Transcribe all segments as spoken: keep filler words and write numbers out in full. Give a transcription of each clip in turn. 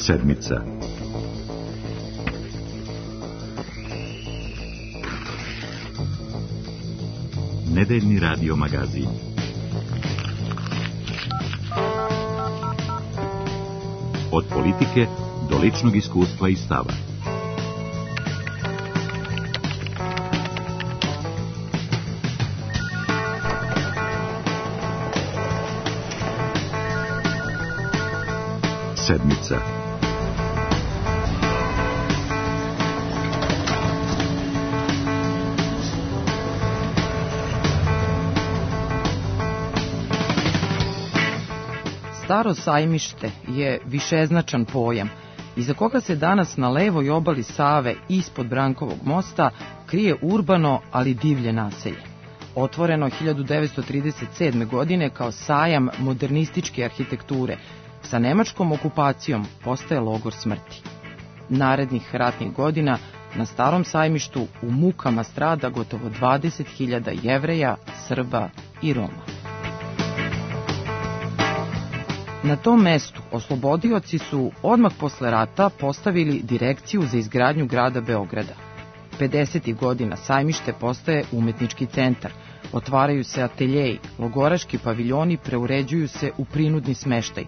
Sedmica. Nedeljni radio magazin. Od politike do ličnog iskustva i stava. Sedmica. Staro sajmište je višeznačan pojam, iza koga se danas na levoj obali Save ispod Brankovog mosta krije urbano, ali divlje naselje. Otvoreno hiljadu devetsto trideset sedme. godine kao sajam modernističke arhitekture, sa nemačkom okupacijom postaje logor smrti. Narednih ratnih godina na Starom sajmištu u mukama strada gotovo dvadeset hiljada Jevreja, Srba i Roma. Na tom mestu oslobodioci su odmah posle rata postavili direkciju za izgradnju grada Beograda. pedesetih godina sajmište postaje umetnički centar, otvaraju se ateljeji, logoraški paviljoni preuređuju se u prinudni smeštaj,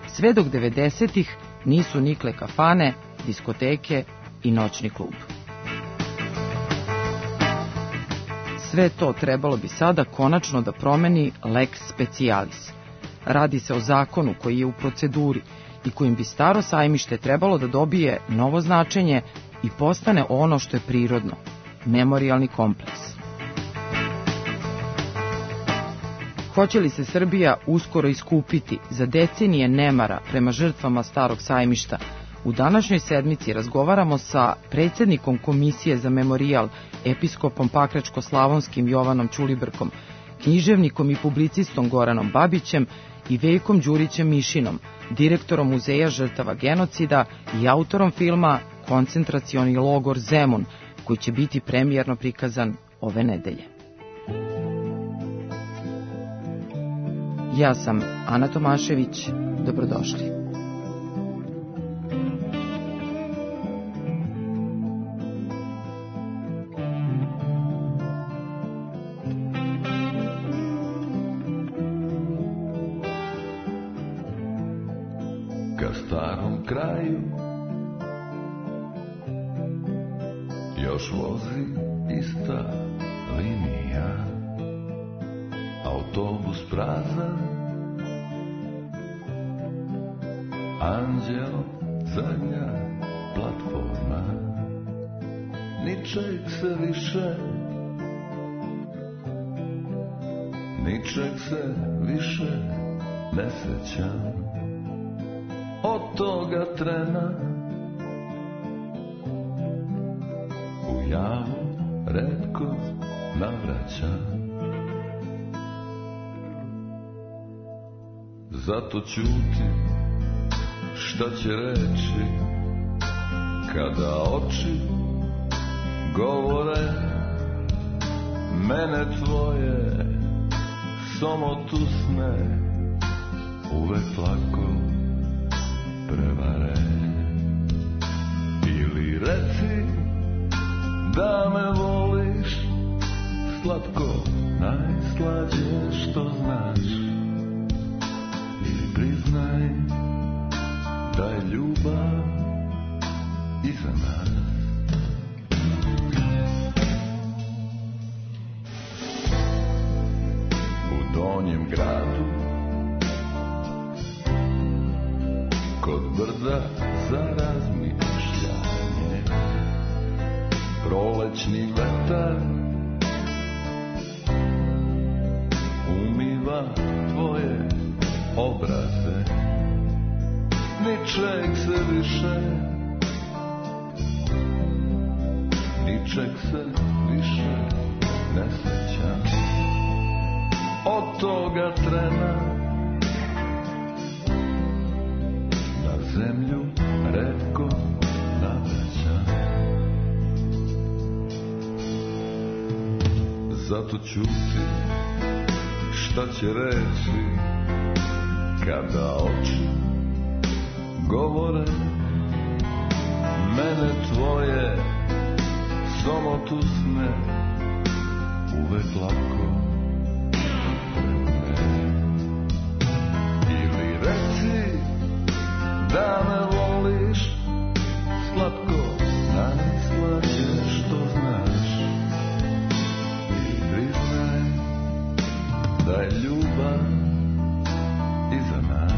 sve dok devedesetih nisu nikle kafane, diskoteke i noćni klub. Sve to trebalo bi sada konačno da promeni lex specialis. Radi se o zakonu koji je u proceduri i kojim bi Staro sajmište trebalo da dobije novo značenje i postane ono što je prirodno, memorijalni kompleks. Hoće li se Srbija uskoro iskupiti za decenije nemara prema žrtvama Starog sajmišta? U današnjoj sedmici razgovaramo sa predsjednikom Komisije za memorijal, episkopom Pakračko-slavonskim Jovanom Ćulibrkom, književnikom i publicistom Goranom Babićem i Veljkom Đurićem Mišinom, direktorom Muzeja žrtava genocida i autorom filma Koncentracioni logor Zemun, koji će biti premijerno prikazan ove nedelje. Ja sam Ana Tomašević, dobrodošli. Ka starom kraju još vozi ista linija, autobus prazan, anđeo zadnja platforma, ničeg se više, ničeg se više ne sećam. Od toga trena u javu retko navraćam. Zato ćuti, šta će reći kada oči govore, mene tvoje samotusne uvek lako prevare. Ili reci da me voliš, slatko najslađe što znaš, ili priznaj da je ljubav iza nas. U donjem gradu kod brda za razmišljanje, prolećni vetar umiva tvoje obraze, ničeg se više, ničeg se više ne sećam. Od toga trena zemlju retko navraćam. Zato ćuti, šta će reći kada oči govore, mene tvoje somotusne uvek lako preme. Ili reci da me voliš slatko najslađe što znaš i priznaj da je ljubav iza nas.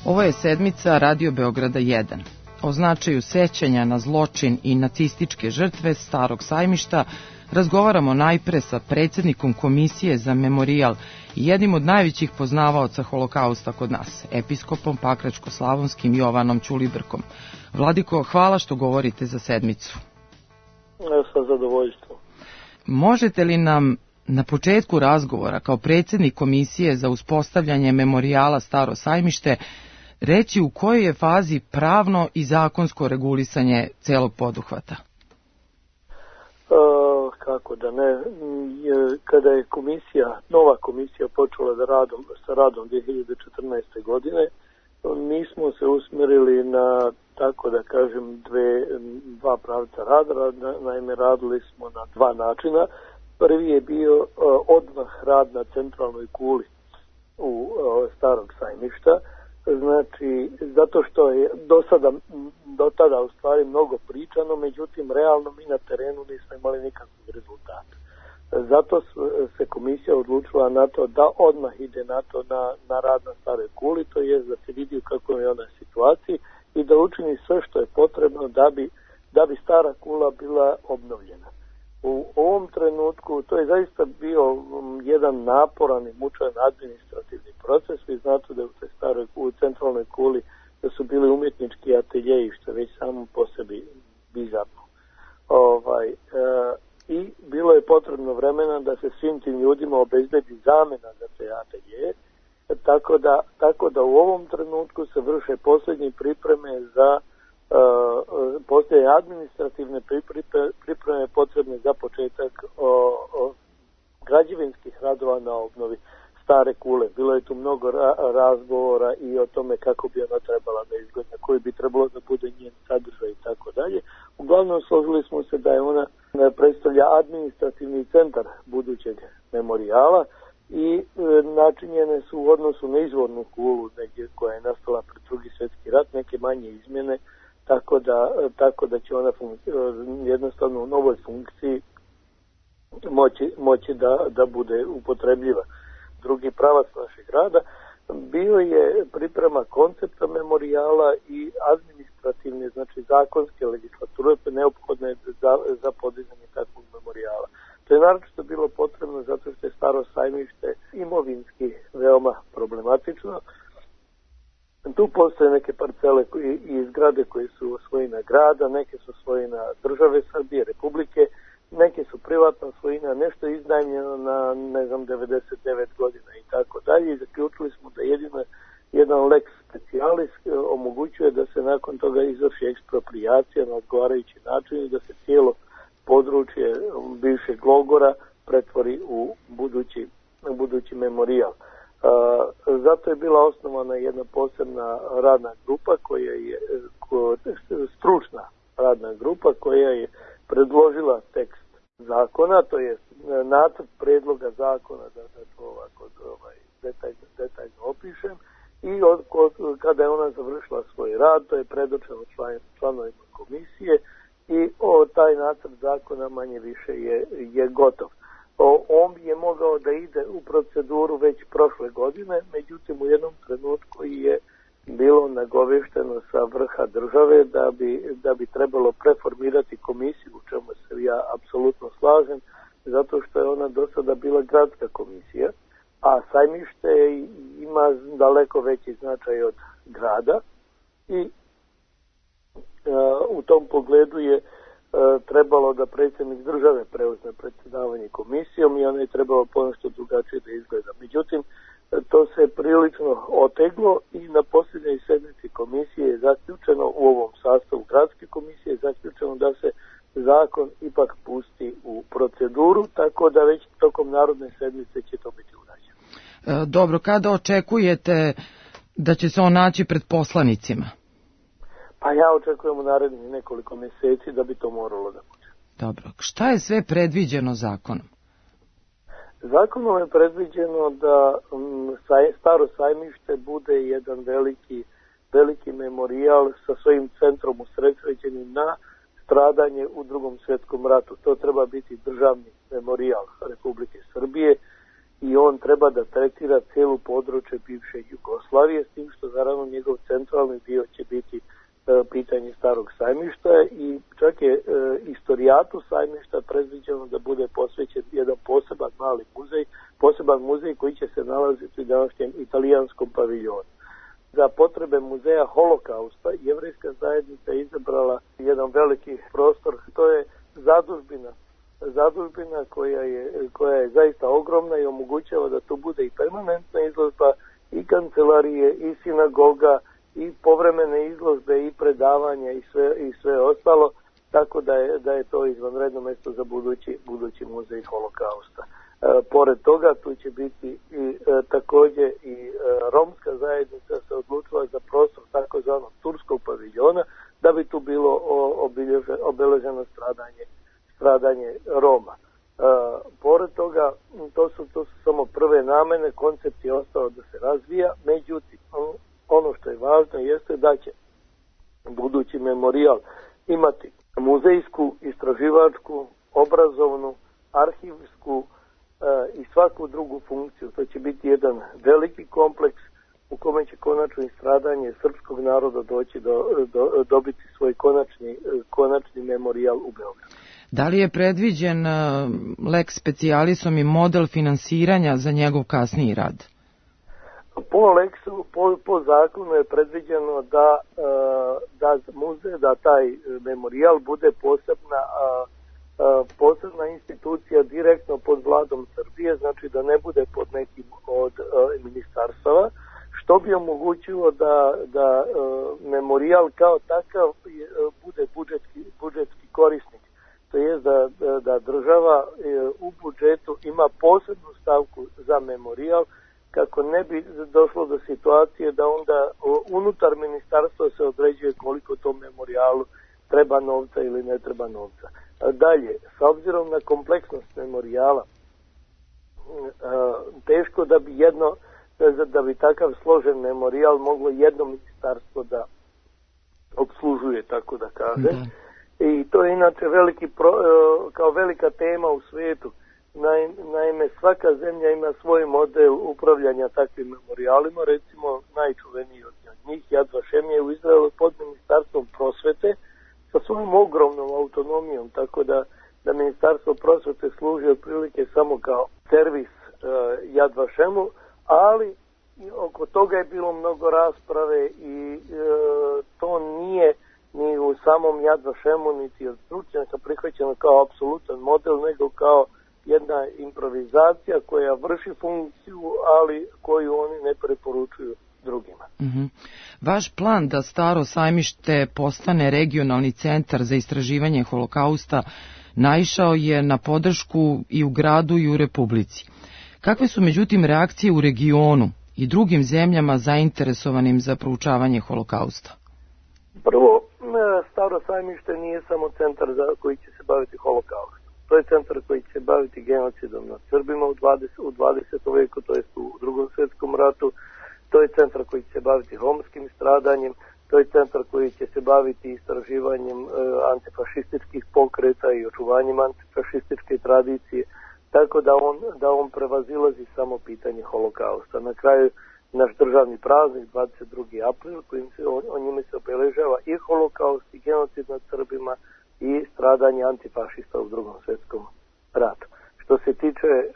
Ovo je sedmica Radio Beograda jedan. O značaju sećanja na zločin i nacističke žrtve Starog sajmišta razgovaramo najpre sa predsjednikom Komisije za memorijal i jednim od najvećih poznavaoca holokausta kod nas, episkopom Pakračko-slavonskim Jovanom Ćulibrkom. Vladiko, hvala što govorite za sedmicu. Sa zadovoljstvom. Možete li nam na početku razgovora kao predsjednik Komisije za uspostavljanje memorijala Staro sajmište reći u kojoj je fazi pravno i zakonsko regulisanje celog poduhvata? E, kako da ne, je, kada je komisija, nova komisija počela da radom, sa radom dvije hiljade četrnaeste. godine, mi smo se usmjerili na, tako da kažem, dve, dva pravca rada. Naime, radili smo na dva načina. Prvi je bio uh, odmah rad na centralnoj kuli u uh, Starog sajmišta. Znači, zato što je do sada, do tada u stvari mnogo pričano, međutim, realno mi na terenu nismo imali nikakvog rezultata. Zato se komisija odlučila na to da odmah ide na to na, na rad na Staroj kuli, to je da se vidi u kakvoj je ona situaciji i da učini sve što je potrebno da bi, da bi Stara kula bila obnovljena. U ovom trenutku to je zaista bio jedan naporan i mučan administrativni proces. Vi znate da u toj staroj u centralnoj kuli da su bili umjetnički ateljeji, što je već samo po sebi bizarno. Ovaj, e, I bilo je potrebno vremena da se svim tim ljudima obezbedi zamena za te ateljeje, tako da, tako da u ovom trenutku se vrše posljednje pripreme za Uh, postoje administrativne pripreme potrebne za početak o, o građevinskih radova na obnovi Stare kule. Bilo je tu mnogo ra- razgovora i o tome kako bi ona trebala da izgleda, koji bi trebalo da bude njen sadržaj i tako dalje. Uglavnom složili smo se da je ona predstavlja administrativni centar budućeg memorijala i e, načinjene su u odnosu na izvornu kulu negdje koja je nastala pred Drugi svjetski rat, neke manje izmjene, tako da, tako da će ona funkci- jednostavno u novoj funkciji moći, moći da, da bude upotrebljiva. Drugi pravac našeg rada bio je priprema koncepta memorijala i administrativne, znači zakonske legislature neophodne za, za podizanje takvog memorijala. To je naročito bilo potrebno zato što je Staro sajmište imovinski veoma problematično. Tu postoje neke parcele i zgrade koje su svojina grada, neke su svojina države Srbije, Republike, neke su privatna svojina, nešto je iznajmljeno na, ne znam, devedeset devet godina i tako dalje. I zaključili smo da jedino jedan lex specialis omogućuje da se nakon toga izvrši eksproprijacija na odgovarajući način i da se cijelo područje bivšeg logora pretvori u budući, budući memorijal. Uh, zato je bila osnovana jedna posebna radna grupa koja je ko, stručna radna grupa koja je predložila tekst zakona, to je nacrt predloga zakona, da, da to ovako ovaj, detaljno, detaljno opišem, i od, od, kada je ona završila svoj rad, to je predočeno član, članovima komisije i o, taj nacrt zakona manje više je, je gotov. On je mogao da ide u proceduru već prošle godine, međutim u jednom trenutku je bilo nagovešteno sa vrha države da bi, da bi trebalo preformirati komisiju, u čemu se ja apsolutno slažem, zato što je ona do sada bila gradska komisija, a sajmište ima daleko veći značaj od grada i uh, u tom pogledu je trebalo da predsjednik države preuzme predsjedavanje komisijom i ono je trebalo ponešto drugačije da izgleda. Međutim, to se prilično oteglo i na posljednjoj sednici komisije je zaključeno, u ovom sastavu gradske komisije je zaključeno da se zakon ipak pusti u proceduru, tako da već tokom narodne sedmice će to biti urađeno. Dobro, kada očekujete da će se on naći pred poslanicima? Pa ja očekujem u narednih nekoliko mjeseci da bi to moralo da bude. Dobro, šta je sve predviđeno zakonom? Zakonom je predviđeno da um, Staro sajmište bude jedan veliki, veliki memorijal sa svojim centrom usredsređenim na stradanje u Drugom svjetskom ratu. To treba biti državni memorijal Republike Srbije i on treba da tretira cijelu područje bivše Jugoslavije, s tim što naravno njegov centralni dio će biti e, pitanje Starog sajmišta i čak je e, istorijatu sajmišta predviđeno da bude posvećen jedan poseban mali muzej, poseban muzej koji će se nalaziti u današnjem italijanskom paviljonu. Za potrebe muzeja Holokausta jevrejska zajednica je izabrala jedan veliki prostor, to je zadužbina, zadužbina koja je, koja je zaista ogromna i omogućava da tu bude i permanentna izložba, i kancelarije, i sinagoga, i povremene izložbe, i predavanja i sve, i sve ostalo, tako da je, da je to izvanredno mjesto za budući, budući muzej Holokausta. E, pored toga tu će biti i e, također i e, romska zajednica se odlučila za prostor takozvanog turskog paviljona da bi tu bilo o, obilježe, obeleženo stradanje, stradanje Roma. E, pored toga to su, to su samo prve namene, koncept je ostao da se razvija, međutim ono što je važno jeste da će budući memorijal imati muzejsku, istraživačku, obrazovnu, arhivsku i svaku drugu funkciju. To će biti jedan veliki kompleks u kome će konačno i stradanje srpskog naroda doći do, do, dobiti svoj konačni, konačni memorijal u Beogradu. Da li je predviđen lex specialisom i model finansiranja za njegov kasniji rad? Po Lexu, po, po zakonu je predviđeno da, da muzej, da taj memorijal bude posebna posebna institucija direktno pod vladom Srbije, znači da ne bude pod nekim od uh, ministarstava, što bi omogućilo da, da uh, memorijal kao takav uh, bude budžetski, budžetski korisnik. To je da, da država uh, u budžetu ima posebnu stavku za memorijal, kako ne bi došlo do situacije da onda uh, unutar ministarstva se određuje koliko tom memorijalu treba novca ili ne treba novca. Dalje, s obzirom na kompleksnost memorijala, teško da bi jedno, da bi takav složen memorijal moglo jedno ministarstvo da obslužuje, tako da kaže. Da. I to je inače veliki pro, kao velika tema u svijetu. Naime, svaka zemlja ima svoj model upravljanja takvim memorijalima, recimo najčuveniji od njih, Yad Vashem je u Izraelu pod ministarstvom prosvete, sa svojom ogromnom autonomijom, tako da, da ministarstvo prosvete služi otprilike samo kao servis uh, Yad Vashemu, ali oko toga je bilo mnogo rasprave i uh, to nije ni u samom Yad Vashemu niti od stručnjaka prihvaćeno kao apsolutan model, nego kao jedna improvizacija koja vrši funkciju, ali koju oni ne preporučuju drugima. Mm-hmm. Vaš plan da Staro sajmište postane regionalni centar za istraživanje holokausta naišao je na podršku i u gradu i u Republici. Kakve su međutim reakcije u regionu i drugim zemljama zainteresovanim za proučavanje holokausta? Prvo, Staro sajmište nije samo centar za koji će se baviti holokaustom. To je centar koji će se baviti genocidom nad Srbima u dvadesetom veku, to jest u Drugom svjetskom ratu. To je centar koji će se baviti romskim stradanjem, to je centar koji će se baviti istraživanjem e, antifašističkih pokreta i očuvanjem antifašističke tradicije, tako da on, da on prevazilazi samo pitanje holokausta. Na kraju naš državni praznik, dvadeset drugi april, kojim se, o, o njime se obeležava i holokaust i genocid nad Srbima i stradanje antifašista u Drugom svjetskom ratu. Što se tiče, e,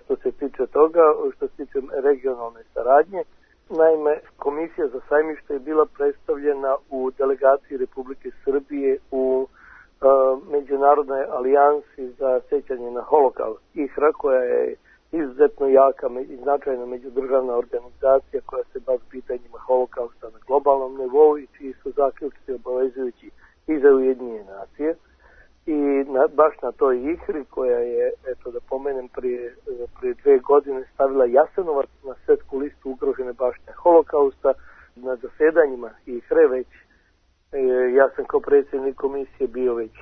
što se tiče toga, što se tiče regionalne saradnje, naime, Komisija za sajmište je bila predstavljena u delegaciji Republike Srbije u uh, Međunarodnoj alijansi za sjećanje na holokaust I H R A, koja je izuzetno jaka i značajna međudržavna organizacija koja se bavi pitanjima holokausta na globalnom nivou i čiji su zaključci obavezujući i za Ujedinjene nacije. I na, baš na toj ihri koja je, eto da pomenem, prije, prije dve godine stavila Jasenovac na svjetsku listu ugrožene baštine holokausta, na zasedanjima ihre već, e, ja sam kao predsjednik komisije bio već e,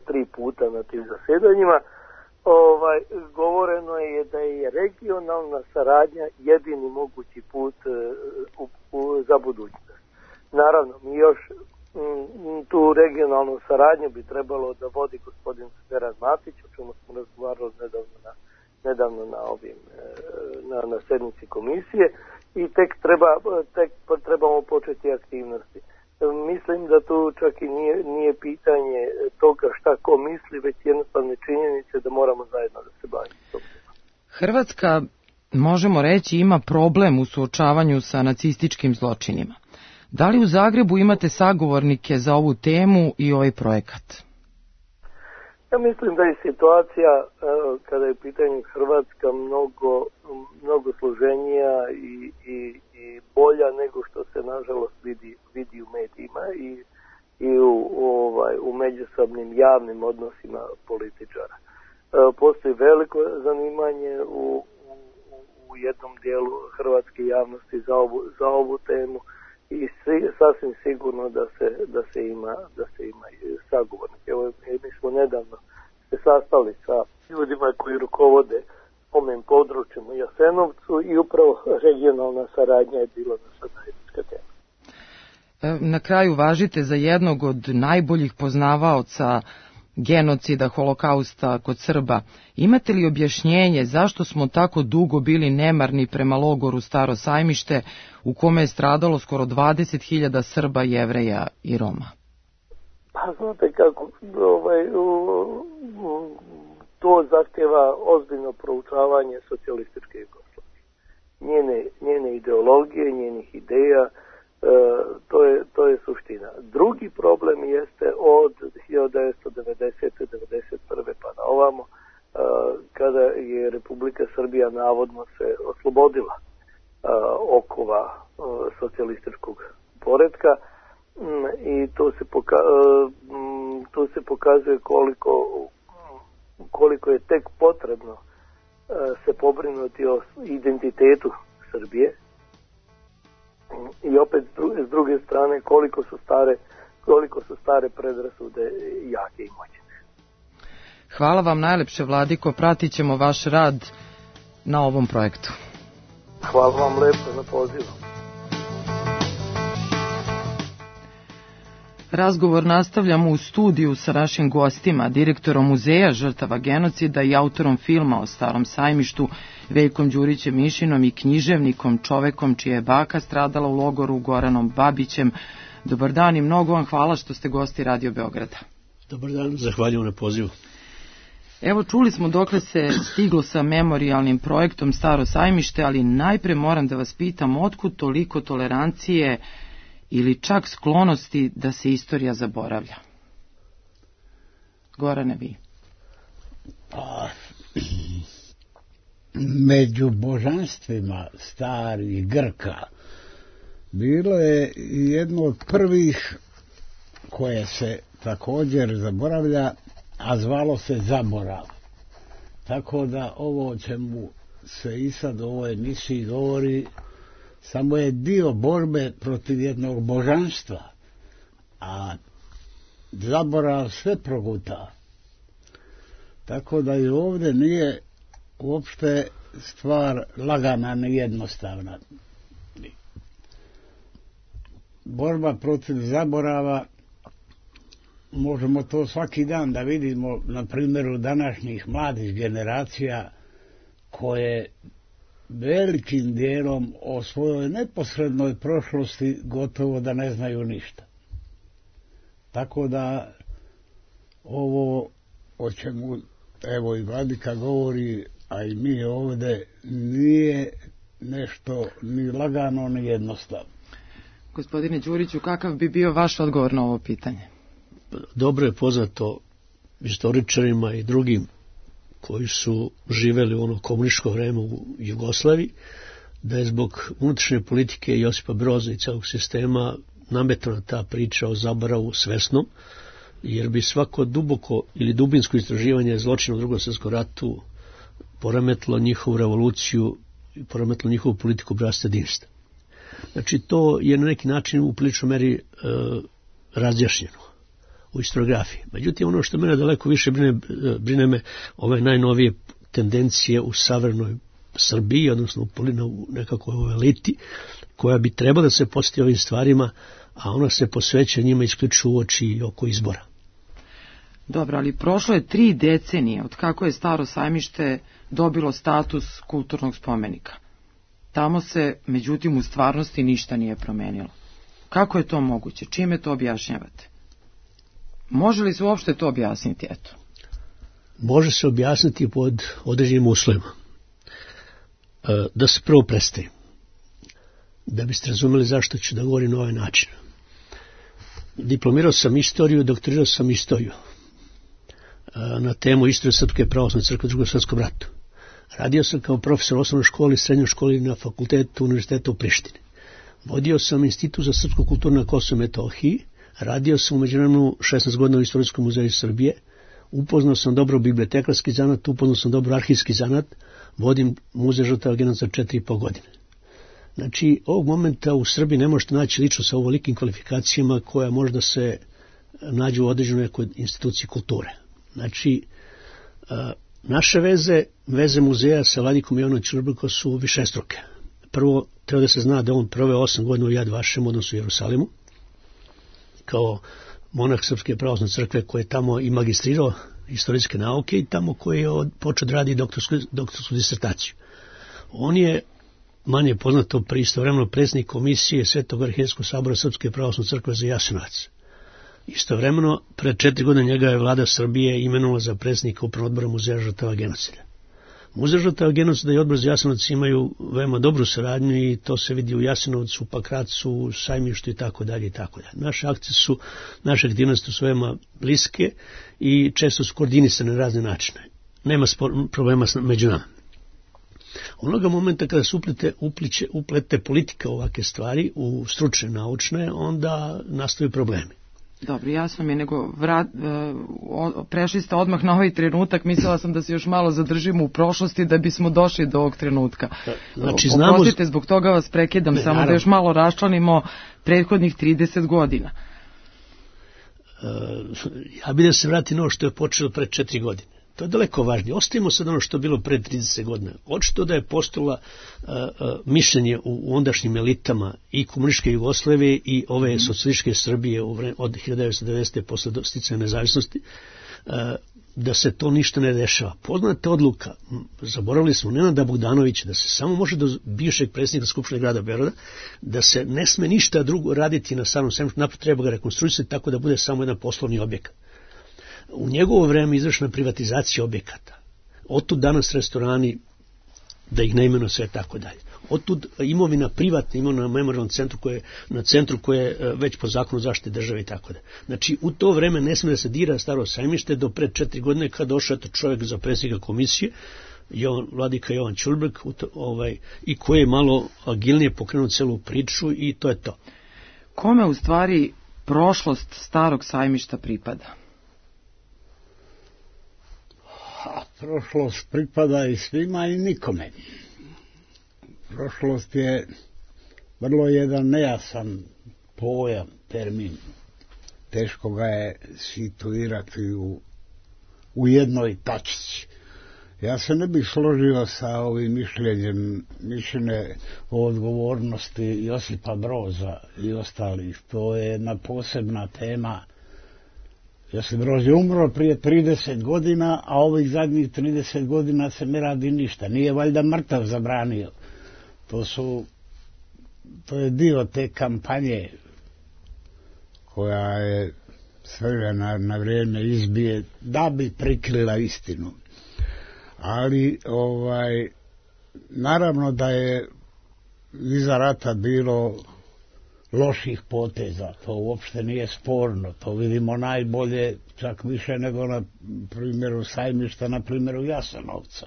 tri puta na tim zasedanjima, ovaj, govoreno je da je regionalna saradnja jedini mogući put e, u, u, za budućnost. Naravno, mi još tu regionalnu saradnju bi trebalo da vodi gospodin Veran Matić, o čemu smo razgovarali nedavno na, nedavno na ovim na, na sednici komisije, i tek treba tek trebamo početi aktivnosti. Mislim da tu čak i nije, nije pitanje toga šta ko misli, već jednostavne činjenice da moramo zajedno da se bavimo tom. Hrvatska, možemo reći, ima problem u suočavanju sa nacističkim zločinima. Da li u Zagrebu imate sagovornike za ovu temu i ovaj projekat? Ja mislim da je situacija kada je u pitanju Hrvatska mnogo, mnogo složenija i, i, i bolja nego što se nažalost vidi, vidi u medijima i, i u, ovaj, u međusobnim javnim odnosima političara. Postoji veliko zanimanje u, u, u jednom dijelu hrvatske javnosti za ovu, za ovu temu. I sasvim sigurno da se, da se ima, da se ima sagovornike. Evo, mi smo nedavno se sastali sa ljudima koji rukovode ovim područjem u Jasenovcu i upravo regionalna saradnja je bila naša zajednička tema. Na kraju važite za jednog od najboljih poznavaoca genocida, holokausta kod Srba. Imate li objašnjenje zašto smo tako dugo bili nemarni prema logoru Staro Sajmište, u kome je stradalo skoro dvadeset hiljada Srba, Jevreja i Roma? Pa znate kako, ovaj, to zahtjeva ozbiljno proučavanje socijalističke Jugoslavije. Njene, njene ideologije, njenih ideja, E, to je, to je suština. Drugi problem jeste od hiljadu devetsto devedesete do devedeset prve pa na ovamo, e, kada je Republika Srbija navodno se oslobodila e, okova e, socijalističkog poretka, mm, i to se, poka, e, m, to se pokazuje koliko, koliko je tek potrebno e, se pobrinuti o identitetu Srbije. I opet s druge strane koliko su stare, koliko su stare predrasude jake i moćne. Hvala vam najlepše, Vladiko, pratit ćemo vaš rad na ovom projektu. Hvala vam lepo na pozivu. Razgovor nastavljamo u studiju sa našim gostima, direktorom Muzeja žrtava genocida i autorom filma o Starom Sajmištu, Veljkom Đurićem Mišinom, i književnikom, čovekom čija je baka stradala u logoru, Goranom Babićem. Dobar dan i mnogo vam hvala što ste gosti Radio Beograda. Dobar dan, zahvaljujem na pozivu. Evo, čuli smo dokle se stiglo sa memorijalnim projektom Staro Sajmište, ali najpre moram da vas pitam otkud toliko tolerancije ili čak sklonosti da se istorija zaboravlja? Gorane, vi. Pa, među božanstvima starih Grka bilo je jedno od prvih koje se također zaboravlja, a zvalo se zaborav. Tako da ovo o čemu se i sad u ovoj emisiji govori samo je dio borbe protiv jednog božanstva, a zaborav sve proguta. Tako da i ovdje nije uopšte stvar lagana ni jednostavna. Borba protiv zaborava, možemo to svaki dan da vidimo na primjeru današnjih mladih generacija koje velikim dijelom o svojoj neposrednoj prošlosti gotovo da ne znaju ništa. Tako da ovo o čemu evo i Vladika govori, a i mi ovdje, nije nešto ni lagano ni jednostavno. Gospodine Đuriću, kakav bi bio vaš odgovor na ovo pitanje? Dobro je poznato istoričarima i drugim koji su živeli u ono komunističko vreme u Jugoslaviji, da je zbog unutrašnje politike Josipa Broza i celog sistema nametana ta priča o zaboravu svesnom, jer bi svako duboko ili dubinsko istraživanje zločina u Drugom svjetskom ratu poremetilo njihovu revoluciju i poremetilo njihovu politiku bratstva jedinstva. Znači, to je na neki način u priličnoj meri e, razjašnjeno u historiografiji. Međutim, ono što mene daleko više brine, brine me ove najnovije tendencije u savremenoj Srbiji, odnosno u nekakvoj eliti, koja bi trebala da se posjeti ovim stvarima, a ona se posveća njima isključivo u oči i oko izbora. Dobro, ali prošlo je tri decenije od kako je Staro sajmište dobilo status kulturnog spomenika. Tamo se, međutim, u stvarnosti ništa nije promenilo. Kako je to moguće? Čime to objašnjavate? Može li se uopšte to objasniti? Eto. Može se objasniti pod određenim uslovima. Da se prvo predstavim, da biste razumeli zašto ću da govorim na ovaj način. Diplomirao sam istoriju, doktorirao sam istoriju na temu istorije Srpske pravoslavne crkve u Drugom svjetskom ratu. Radio sam kao profesor u osnovnoj školi, srednjoj školi na fakultetu Univerziteta u Prištini. Vodio sam Institut za srpsku kulturu na Kosovu i Metohiji, radio sam u međuvremenu šesnaest godina u Istorijskom muzeju Srbije, upoznao sam dobro bibliotekarski zanat, upoznao sam dobro arhivski zanat, vodim muzej žrtava genocida četiri i po godine. Znači, ovog momenta u Srbiji ne možete naći lično sa ovolikim kvalifikacijama koja možda se nađu u određenoj nekoj instituciji kulture. Znači, naše veze, veze muzeja sa Vladikom Jovanom Ćurbikom su višestruke. Prvo, treba da se zna da on proveo osam godina u Jad Vašem, odnosno u Jerusalimu, kao monah Srpske pravoslavne crkve koji je tamo i magistrirao istorijske nauke i tamo koji je počeo da radi doktorsku, doktorsku disertaciju. On je manje poznato pri istovremeno predsjednik komisije Svetog arhijeskog sabora Srpske pravoslavne crkve za Jasenovac. Istovremeno, pred četiri godine njega je vlada Srbije imenovala za predsjednika upravnog odbora Muzeja žrtava genocida. Muzej žrtava genocida i odbor za Jasenovac imaju veoma dobru saradnju i to se vidi u Jasenovcu, Pakracu, Sajmištu i tako dalje i tako dalje. Naše akcije su, naše aktivnosti su veoma bliske i često su koordinisane na razne načine. Nema spor, problema među nama. Onoga momenta kada se uplete, upliče, uplete politika ovake stvari u stručne, naučne, onda nastaju problemi. Dobro, jasno mi je, nego vrat, o, prešli ste odmah na ovaj trenutak, mislila sam da se još malo zadržimo u prošlosti da bismo došli do ovog trenutka. Znači, znamo... Oprostite, zbog toga vas prekidam, ne, samo naravno. Da još malo raščlanimo prethodnih trideset godina. Uh, ja bih da se vrati na ovo što je počelo pred četiri godine. To je daleko važnije. Ostavimo sad ono što je bilo pred trideset godina. Očito da je postala uh, uh, mišljenje u, u ondašnjim elitama i komunističke Jugoslavije i ove mm. socijalističke Srbije u vre, od hiljadu devetsto dedesete. posle sticanja nezavisnosti, uh, da se to ništa ne dešava. Poznata odluka, zaboravili smo Nenada Bogdanovića, da se samo može do bivšeg predsjednika Skupštine grada Beograda, da se ne sme ništa drugo raditi na Starom sajmištu, naprotiv treba ga rekonstruisati tako da bude samo jedan poslovni objekat. U njegovo vreme izvršena privatizacija objekata. Otud danas restorani, da ih ne imenu sve tako dalje. Otud imovina privatna, imovina na memorialnom centru koje, na centru koje je već po zakonu zaštite države i tako dalje. Znači, u to vreme ne smije da se dira Staro sajmište do pred četiri godine kad došao eto čovjek za predsjednika komisije, Jovan, vladika Jovan Ćurbrk, ovaj, i koji je malo agilnije pokrenuo celu priču i to je to. Kome u stvari prošlost Starog sajmišta pripada? A prošlost pripada i svima i nikome. Prošlost je vrlo jedan nejasan pojam, termin. Teško ga je situirati u, u jednoj tačici. Ja se ne bih složio sa ovim mišljenjem, mišljenje o odgovornosti Josipa Broza i ostalih. To je jedna posebna tema. Josip Broz je umro prije trideset godina, a ovih zadnjih trideset godina se ne radi ništa. Nije valjda mrtav zabranio. To su, to je dio te kampanje koja je svega na vrijeme izbije da bi prikrila istinu. Ali, ovaj, naravno da je iza rata bilo loših poteza, to uopšte nije sporno, to vidimo najbolje, čak više nego na primjeru Sajmišta, na primjeru Jasenovca.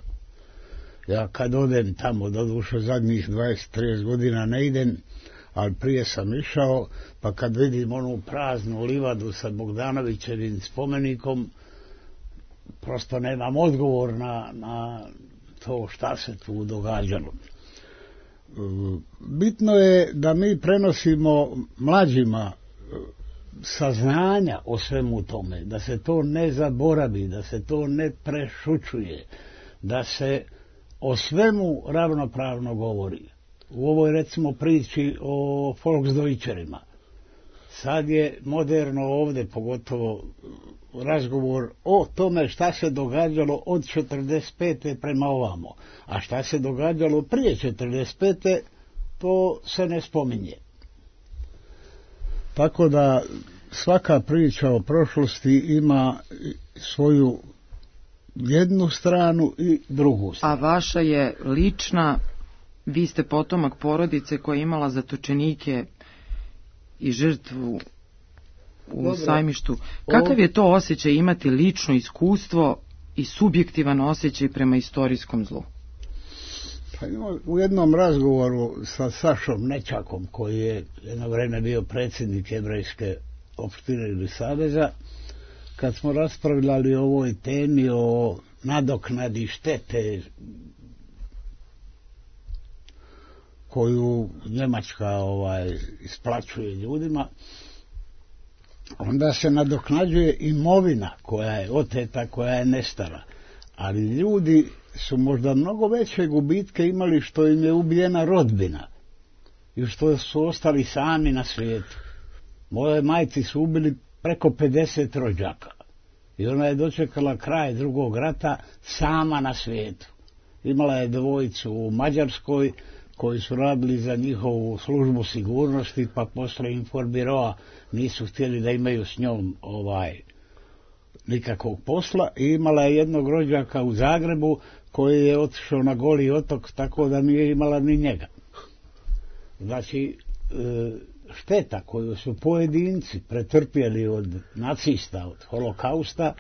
Ja kad odem tamo, doduše zadnjih dvadeset trideset godina ne idem, ali prije sam išao, pa kad vidim onu praznu livadu sa Bogdanovićevim spomenikom, prosto nemam odgovor na, na to šta se tu događalo. Bitno je da mi prenosimo mlađima saznanja o svemu tome, da se to ne zaboravi, da se to ne prešućuje, da se o svemu ravnopravno govori. U ovoj recimo priči o Volksdeutcherima. Sad je moderno ovdje, pogotovo razgovor o tome šta se događalo od četrdeset pete prema ovamo. A šta se događalo prije četrdeset pete to se ne spominje. Tako da svaka priča o prošlosti ima svoju jednu stranu i drugu stranu. A vaša je lična, vi ste potomak porodice koja je imala zatočenike i žrtvu u Dobro. Sajmištu. Kakav je to osjećaj imati lično iskustvo i subjektivan osjećaj prema istorijskom zlu? Pa u jednom razgovoru sa Sašom Nečakom, koji je jedno vreme bio predsjednik Jevrejske opštine ili saveza, kad smo raspravljali o ovoj temi o nadoknadi štete koju Njemačka ovaj, isplaćuje ljudima, onda se nadoknađuje imovina koja je oteta, koja je nestala. Ali ljudi su možda mnogo veće gubitke imali što im je ubijena rodbina i što su ostali sami na svijetu. Moje majci su ubili preko pedeset rođaka i ona je dočekala kraj drugog rata sama na svijetu. Imala je dvojicu u Mađarskoj koji su radili za njihovu službu sigurnosti, pa posle informiroa nisu htjeli da imaju s njom ovaj nikakvog posla, i imala je jednog rođaka u Zagrebu koji je otišao na Goli otok, tako da nije imala ni njega. Znači, šteta koju su pojedinci pretrpjeli od nacista, od holokausta,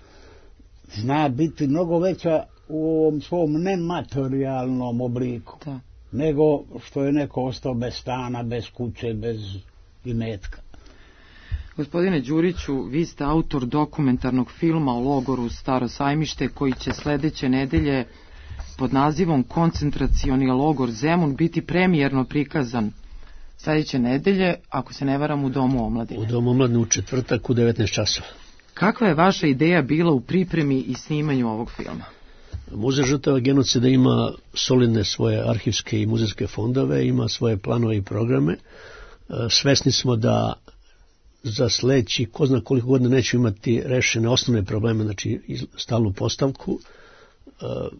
zna biti mnogo veća u ovom svom nematerijalnom obliku. Da. Nego što je neko ostao bez stana, bez kuće, bez imetka. Gospodine Đuriću, vi ste autor dokumentarnog filma o logoru Staro Sajmište koji će sledeće nedelje pod nazivom Koncentracioni logor Zemun biti premijerno prikazan sledeće nedelje, ako se ne varam, u Domu omladine. U Domu omladine u četvrtak u devetnaest časova. Kakva je vaša ideja bila u pripremi i snimanju ovog filma? Muzej žrtava genocida ima solidne svoje arhivske i muzejske fondove, ima svoje planove i programe. Svesni smo da za sledeći, ko zna koliko godina nećemo imati rešene osnovne probleme, znači stalnu postavku,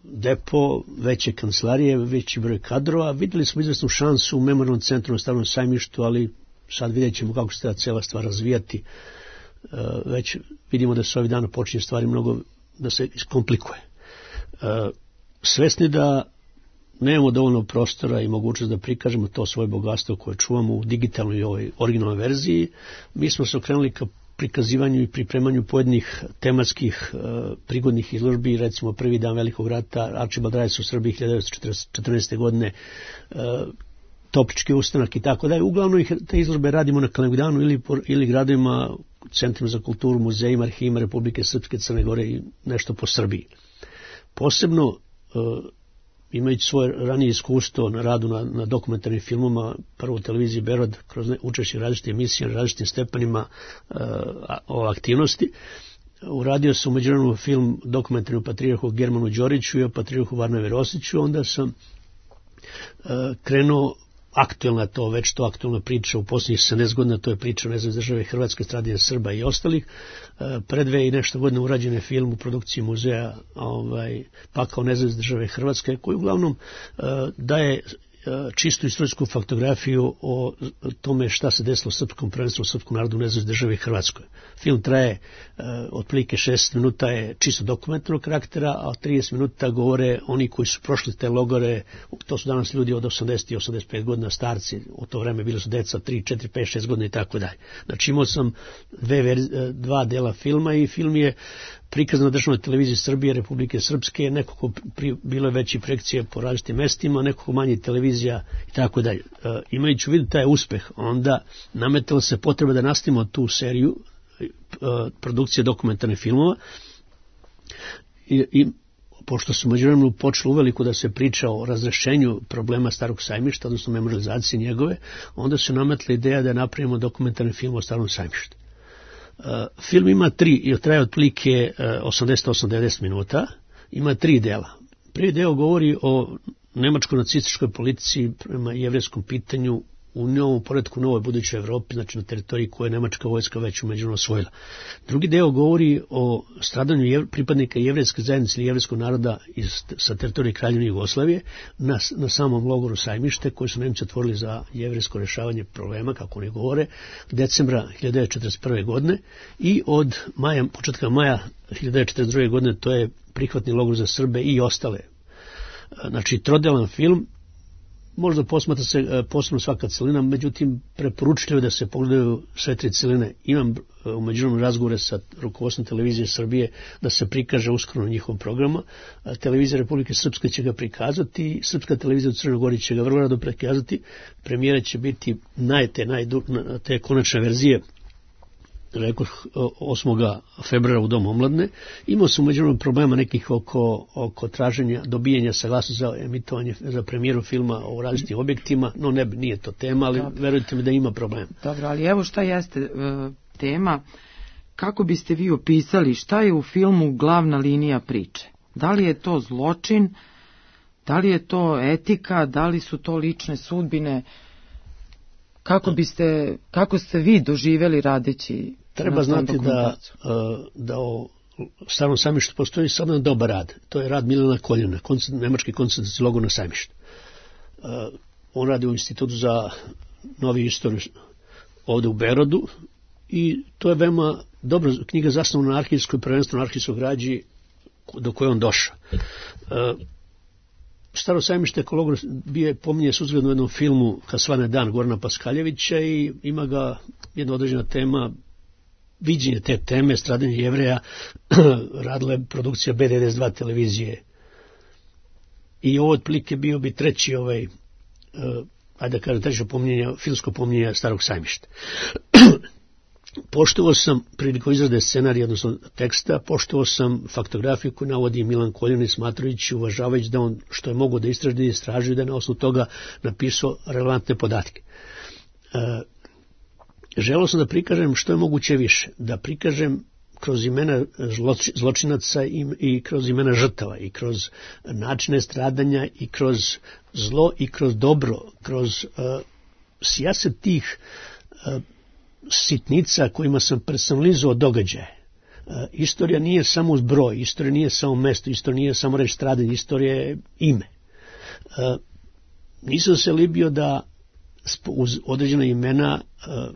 depo, veće kancelarije, veći broj kadrova. Videli smo izvesnu šansu u Memorijalnom centru na Starom Sajmištu, ali sad vidjet ćemo kako se ta cijela stvar razvijati. Već vidimo da se ovih dana počinje stvari mnogo da se iskomplikuje. Svesni da nemamo dovoljno prostora i mogućnost da prikažemo to svoje bogatstvo koje čuvamo u digitalnoj i ovoj originalnoj verziji, mi smo se okrenuli ka prikazivanju i pripremanju pojedinih tematskih uh, prigodnih izložbi. Recimo prvi dan Velikog rata, Arčibald Rajec u Srbiji hiljadu devetsto četrnaeste. godine, uh, Toplički ustanak i tako dalje. Uglavnom ih, te izložbe radimo na Kalemegdanu ili, ili gradovima, centrima za kulturu, muzejima, arhivima Republike Srpske, Crne Gore i nešto po Srbiji. Posebno, uh, imajući svoje ranije iskustvo na radu na, na dokumentarnim filmoma, prvo u televiziji Berod, kroz učešće različite emisije na različitim stepenima uh, o aktivnosti, uradio sam u međuvremenu film dokumentarni o patrijarhu Germanu Đoriću i o patrijarhu Varnavi Rosiću. Onda sam uh, krenuo aktuelna to, već to aktuelna priča u posljednjih sedamnaest godina, to je priča o nezavisnoj države Hrvatske, stradanje Srba i ostalih. Pre dve i nešto godina urađen je film u produkciji muzeja ovaj, Pakao nezavisne države Hrvatske, koji uglavnom daje čistu istorijsku faktografiju o tome šta se desilo u srpskom prvenstvu, u srpskom narodu, u nezavisnoj državi Hrvatskoj. Film traje uh, otprilike šest minuta, je čisto dokumentarnog karaktera, a trideset minuta govore oni koji su prošli te logore. To su danas ljudi od osamdeset i osamdeset pet godina, starci, u to vreme bili su deca tri, četiri, pet, šest godina i tako dalje. Znači imao sam dve, dva dela filma i film je prikazan na državnoj televiziji Srbije, Republike Srpske, nekako pri, bilo je veći projekcije po različitim mestima, nekako manji televizija i tako dalje. E, imajući u vidu taj uspeh, onda nametala se potreba da nastavimo tu seriju e, produkcije dokumentarnih filmova i, i pošto su međuvremenu počeli uveliko da se priča o razrešenju problema Starog sajmišta, odnosno memorializacije njegove, onda su nametla ideja da napravimo dokumentarni film o Starom sajmištu. Uh, film ima tri, i traje otprilike uh, osamdeset osam do devedeset minuta, ima tri dela. Prvi deo govori o nemačko-nacističkoj politici prema jevrejskom pitanju u novom poretku u novoj budućoj Evropi, znači na teritoriji koje je nemačka vojska već umeđuvremenu osvojila. Drugi deo govori o stradanju jev, pripadnika jevrejske zajednice ili jevrejskog naroda iz, sa teritorije Kraljevine Jugoslavije na, na samom logoru Sajmište, koji su Nemci otvorili za jevrejsko rešavanje problema, kako oni govore, decembra hiljadu devetsto četrdeset prve. godine i od maja, početka maja hiljadu devetsto četrdeset druge. godine to je prihvatni logor za Srbe i ostale. Znači, trodelan film, možda posmatra se posebno svaka celina, međutim preporučljivo je da se pogledaju sve tri celine. Imam u međuvremenu razgovore sa rukovodstvom televizije Srbije da se prikaže uskoro njihovom programa. Televizija Republike Srpske će ga prikazati, Srpska televizija u Crnoj Gori će ga vrlo rado prikazati. Premijera će biti najte, najdu, te konačne verzije, rekao osmog februara u Domu omladne. Imao sam međutim problema nekih oko, oko traženja, dobijanja saglasnosti za emitovanje, za premijeru filma o različitim objektima, no ne, nije to tema, ali dobro, verujte mi da ima problem. Dobro, ali evo šta jeste e, tema, kako biste vi opisali šta je u filmu glavna linija priče? Da li je to zločin, da li je to etika, da li su to lične sudbine? Kako biste, kako ste vi doživjeli radeći? Treba znati da, da o Starom sajmištu postoji samo jedan dobar rad. To je rad Milana Koljena, nemački koncentracijski logor na Sajmištu. On radi u Institutu za novi istoriju ovde u Berodu i to je veoma dobra knjiga zasnovana na arhivskoj, prvenstveno arhivskoj građi do koje on došao. Staro sajmište kao logor bio pominje suzgledno u jednom filmu Kad svane dan Gorana Paskaljevića i ima ga jedna određena tema, viđenje te teme, stradanje Jevreja, radila je produkcija B devedeset dva televizije. I ovo otprilike bio bi treći ovaj, uh, ajde da kažem, treće pominjenje, filmsko pominjenje Starog sajmišta. Poštovao sam prilikom izrade scenarija, odnosno teksta, poštovao sam faktografiju koju navodi Milan Koljen, smatrajući, uvažavajući da on što je mogo da istraži, da istraži, da je na osnovu toga napisao relevantne podatke. E, želeo sam da prikažem što je moguće više, da prikažem kroz imena zločinaca i, i kroz imena žrtava i kroz načine stradanja i kroz zlo i kroz dobro, kroz uh, sijaset tih uh, sitnica kojima sam personalizovao događaje. Uh, istorija nije samo zbroj, istorija nije samo mesto, istorija nije samo reč stradanje, istorija je ime. Uh, nisam se libio da uz određena imena, uh,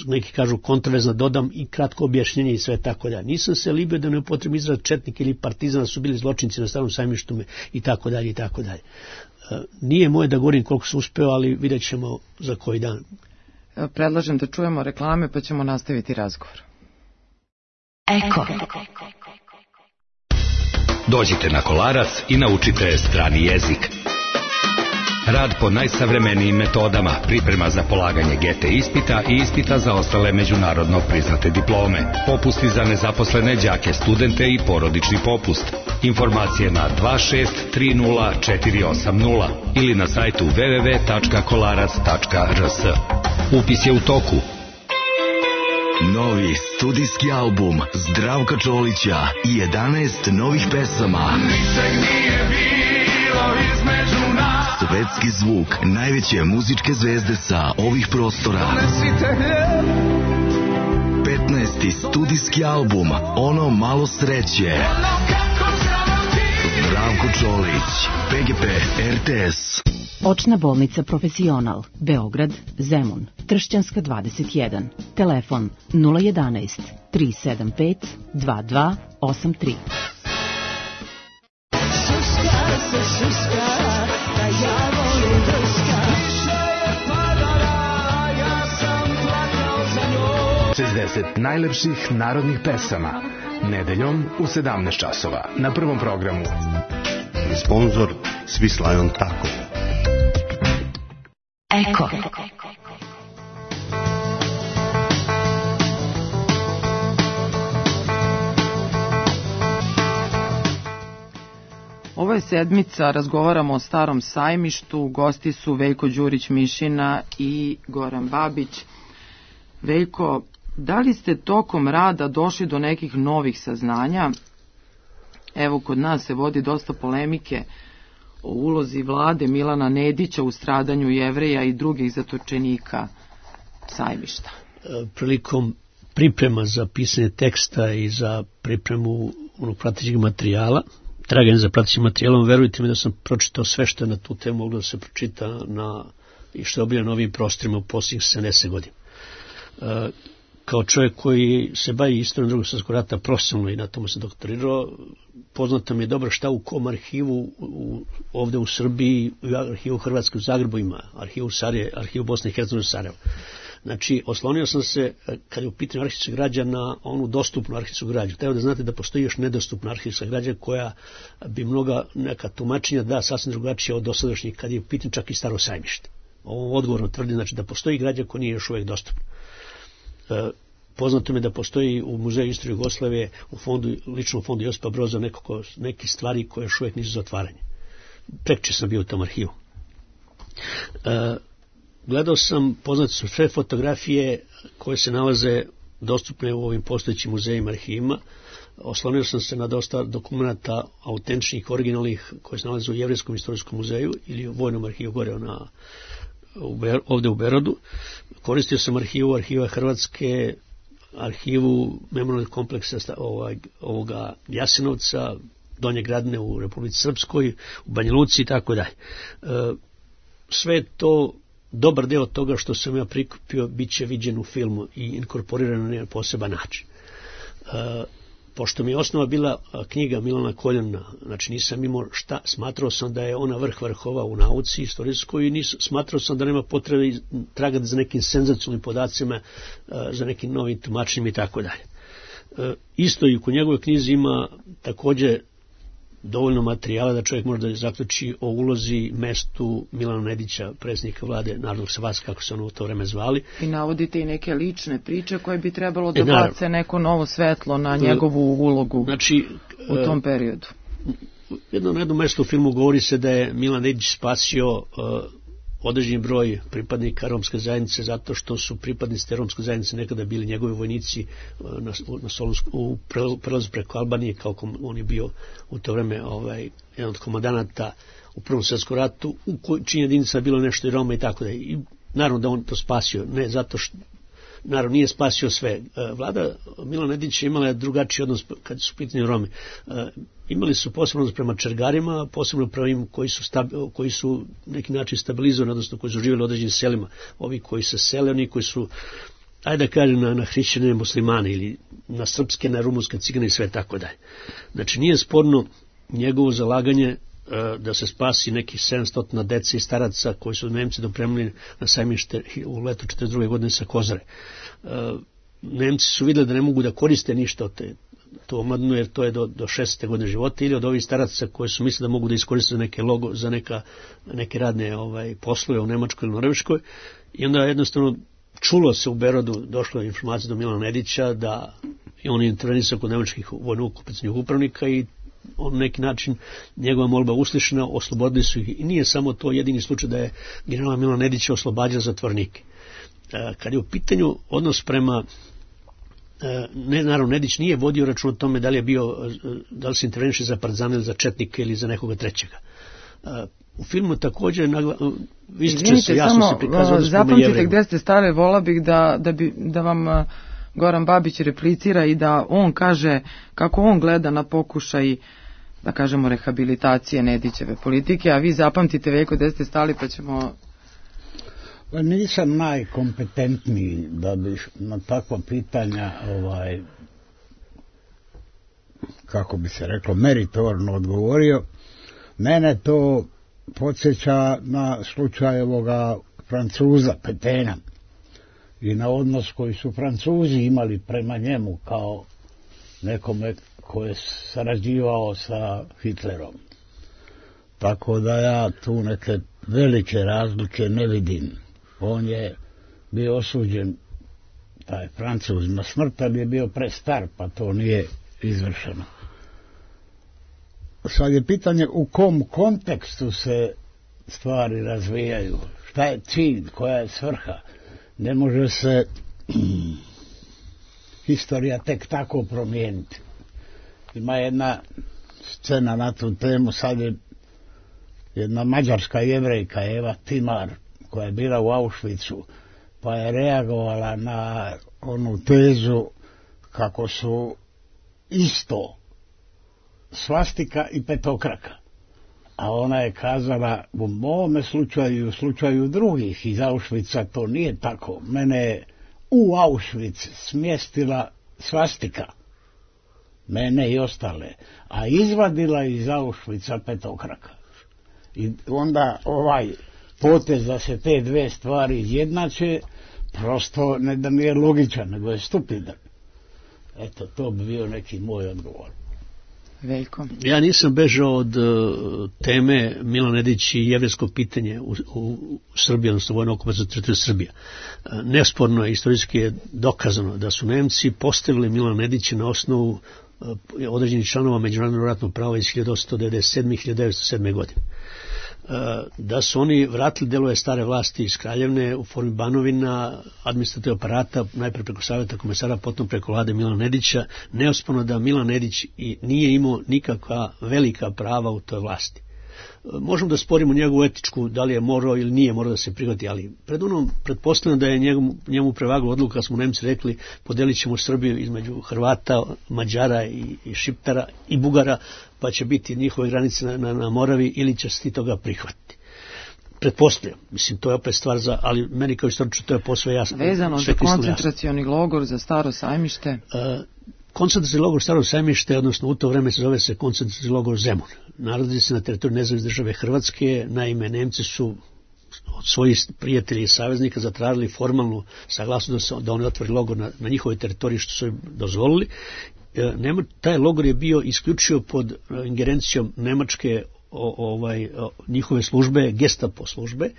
neki kažu kontroverzna, dodam i kratko objašnjenje i sve tako dalje. Nisam se libio da ne upotrebim izraz četnik ili partizan, su bili zločinci na Starom sajmištu i tako dalje i tako dalje. Uh, nije moje da govorim koliko sam uspeo, ali vidjet ćemo za koji dan. Predlažem da čujemo reklame pa ćemo nastaviti razgovor. Eko. Dođite na Kolarac i naučite strani jezik. Rad po najsavremenijim metodama, priprema za polaganje G T ispita i ispita za ostale međunarodno priznate diplome. Popusti za nezaposlene đake, studente i porodični popust. Informacije na dva šest tri nula četiri osam nula ili na sajtu w w w tačka kolarac tačka r s. Upis je u toku. Novi studijski album Zdravka Čolića i jedanaest novih pesama. Ničeg nije bilo između nas. Svetski zvuk najveće muzičke zvezde sa ovih prostora. petnaesti studijski album Ono malo sreće. Zdravko Zdravko Čolić, P G P R T S. Očna bolnica Profesional, Beograd, Zemun, Tršćanska dvadeset jedan. Telefon nula jedanaest tri sedam pet dva dva osam tri. Šuška se šuška, da ja volim drška. Kiša je padala, ja sam plakao za njom. šezdeset najlepših narodnih pesama. Nedeljom u sedamnaest časova na Prvom programu. Sponzor Swiss Lion Taco. Eko. Ovo je sedmica, razgovaramo o Starom sajmištu, gosti su Veljko Đurić-Mišina i Goran Babić. Veljko, da li ste tokom rada došli do nekih novih saznanja? Evo, kod nas se vodi dosta polemike o ulozi vlade Milana Nedića u stradanju Jevreja i drugih zatočenika sajmišta. Prilikom priprema za pisanje teksta i za pripremu onog pratećeg materijala, traganje za pratećim materijalom, verujte mi da sam pročitao sve što je na tu temu moglo da se pročita na, i što je objavljeno na ovim prostorima u posljednjih sedamdeset godina. E, kao čovjek koji se bavi istorijom Drugog svjetskog rata profesionalno i na tomu se doktorirao, poznato mi je dobro šta u kom arhivu u, ovde u Srbiji, u arhivu Hrvatske u Zagrebu ima, arhivu Sarije, arhivu Bosne i Hercegovine u Sarajevu. Znači, oslonio sam se, kad je u pitanju arhivska građa, na onu dostupnu arhivsku građu. Treba da znate da postoji još nedostupna arhivska građa koja bi mnoga neka tumačenja da sasvim drugačije od dosadašnjih, kad je u pitanju čak i Staro sajmište. Ovo odgovorno tvrdi, znači da postoji građa koja nije još uvijek dostupna. E, poznato mi je da postoji u Muzeju istorije Jugoslavije, u fondu, ličnom fondu Josipa Broza, nekako, neki stvari koje još uvijek nisu za otvaranje. Prekče sam bio u tom arhivu. E, Gledao sam, poznate su sve fotografije koje se nalaze dostupne u ovim postojećim muzejima, arhivima. Oslonio sam se na dosta dokumenta autentičnih, originalnih, koje se nalaze u Jevrejskom istorijskom muzeju ili u Vojnom arhivu gore na, u Ber, ovde u Berodu. Koristio sam arhivu, arhiva Hrvatske, arhivu memorialnog kompleksa ovaj, ovoga Jasenovca, Donje Gradne u Republici Srpskoj, u Banja Luci i tako dalje. Sve to, dobar deo toga što sam ja prikupio, bit će viđen u filmu i inkorporiran na poseban način. E, pošto mi je osnova bila knjiga Milana Koljana, znači nisam imao šta, smatrao sam da je ona vrh vrhova u nauci istorijskoj i nis, smatrao sam da nema potrebe tragati za nekim senzacionalnim podacima, e, za nekim novim tumačenjima i tako dalje. E, isto i u njegovoj knjizi ima takođe dovoljno materijala da čovjek može da zaključi o ulozi, mestu Milana Nedića, predsjednika vlade Narodnog saveza, kako se ono u to vreme zvali. I navodite i neke lične priče koje bi trebalo da bace neko novo svetlo na njegovu ulogu, znači, u tom periodu. Jedno na jednom mestu u filmu govori se da je Milan Nedić spasio uh, određeni broj pripadnika romske zajednice zato što su pripadnici te romske zajednice nekada bili njegovi vojnici na, na Solunsku, u prelazu preko Albanije, kao kom, on je bio u to vreme ovaj, jedan od komandanata u Prvom svjetskom ratu, u čiji jedinica bilo nešto i Roma i tako da. I naravno da on to spasio, ne zato što naravno nije spasio sve. Vlada Milana Nedića imala je drugačiji odnos kad su pitanje Romi. Imali su posebno odnos prema Čergarima, posebno prema im koji su, stabi, koji su neki način stabilizovani, odnosno koji su živjeli u određenim selima. Ovi koji se sele, oni koji su, ajde da kažem, na, na hrišćane muslimane ili na srpske, na rumunske, cigane i sve tako dalje. Znači nije sporno njegovo zalaganje da se spasi nekih sedamsto dece i staraca koji su Nemci dopremili na sajmište u letu četrdeset druge godine sa Kozare. Nemci su vidjeli da ne mogu da koriste ništa od te, to omladinu, jer to je do, do šestdesete godine života, ili od ovih staraca koji su mislili da mogu da iskoriste za neke, logo, za neka, neke radne ovaj, poslove u Nemačkoj ili Norveškoj. I onda jednostavno čulo se u Berodu, došlo je informacija do Milana Nedića da je on intervenisao kod nemačkih vojno-okupacionih upravnika i on neki način njegova molba uslišena, oslobodili su ih. I nije samo to jedini slučaj da je general Milan Nedić oslobađao zatvornike. Kad je u pitanju odnos prema, ne, naravno Nedić nije vodio račun o tome da li je bio, da li se interveniše za partizane ili za četnike ili za nekoga trećega. U filmu također ističe se, jasno se prikazuje odnos prema Jevrejima. Zapamtite gde ste stale, vola bih da, da, bi, da vam Goran Babić replicira i da on kaže kako on gleda na pokušaj da kažemo, rehabilitacije Nedićeve politike, a vi zapamtite Veljko gde ste stali pa ćemo... Pa nisam najkompetentniji da bi na takva pitanja ovaj, kako bi se reklo, meritorno odgovorio. Mene to podsjeća na slučaj ovoga Francuza Petena i na odnos koji su Francuzi imali prema njemu kao nekome ko je sarađivao sa Hitlerom. Tako da ja tu neke velike razlike ne vidim. On je bio osuđen, taj Francuz, na smrt, ali je bio prestar, pa to nije izvršeno. Sad je pitanje u kom kontekstu se stvari razvijaju, šta je cilj, koja je svrha. Ne može se historija tek tako promijeniti. Ima jedna scena na tu temu, sad je jedna mađarska jevrejka, Eva Timar, koja je bila u Auschwitzu, pa je reagovala na onu tezu kako su isto svastika i petokraka. A ona je kazala, u mome slučaju i u slučaju drugih iz Auschwitza to nije tako. Mene je u Auschwitz smjestila svastika, mene i ostale, a izvadila iz Auschwitza petokraka. I onda ovaj potez da se te dve stvari izjednače, prosto ne da nije logičan, nego je stupidan. Eto, to bi bio neki moj odgovor. Veljko. Ja nisam bežao od uh, teme Milan Nedić i jevrejsko pitanje u, u, u Srbiji, odnosno vojno okupacijska teritorija Srbija. Uh, nesporno je, istorijski je dokazano da su Nemci postavili Milana Nedića na osnovu uh, određenih članova međunarodnog ratnog prava iz hiljadu osamsto devedeset sedme i hiljadu devetsto sedme. godine. Da su oni vratili delove stare vlasti iz Kraljevne u formi banovina, administrativnog aparata, najpre preko savjeta komesara, potom preko vlade Milana Nedića. Neosporno da Milan Nedić i nije imao nikakva velika prava u toj vlasti. Možemo da sporimo njegovu etičku, da li je morao ili nije morao da se prihvati, ali pred onom pretpostavljam da je njemu, njemu prevagla odluka, kad smo Nemci rekli podelit ćemo Srbiju između Hrvata, Mađara i, i Šiptara i Bugara, pa će biti njihove granice na, na, na Moravi, ili će se ti toga prihvatiti. Pretpostavljam, mislim, to je opet stvar za, ali meni kao istoričar to je posve jasno. Vezano za koncentracioni logor, za Staro Sajmište? Uh, Koncentracioni logor Staro Sajmište, odnosno u to vreme se zove se koncentracioni logor Zemun. Nalazi se na teritoriju nezavisne države Hrvatske. Naime, Nemci su od svojih prijatelja i saveznika zatražili formalnu saglasnost da, da oni otvori logor na, na njihovoj teritoriji, što su im dozvolili. E, Nema, taj logor je bio isključio pod ingerencijom Nemačke o, ovaj, o, njihove službe, Gestapo službe, e,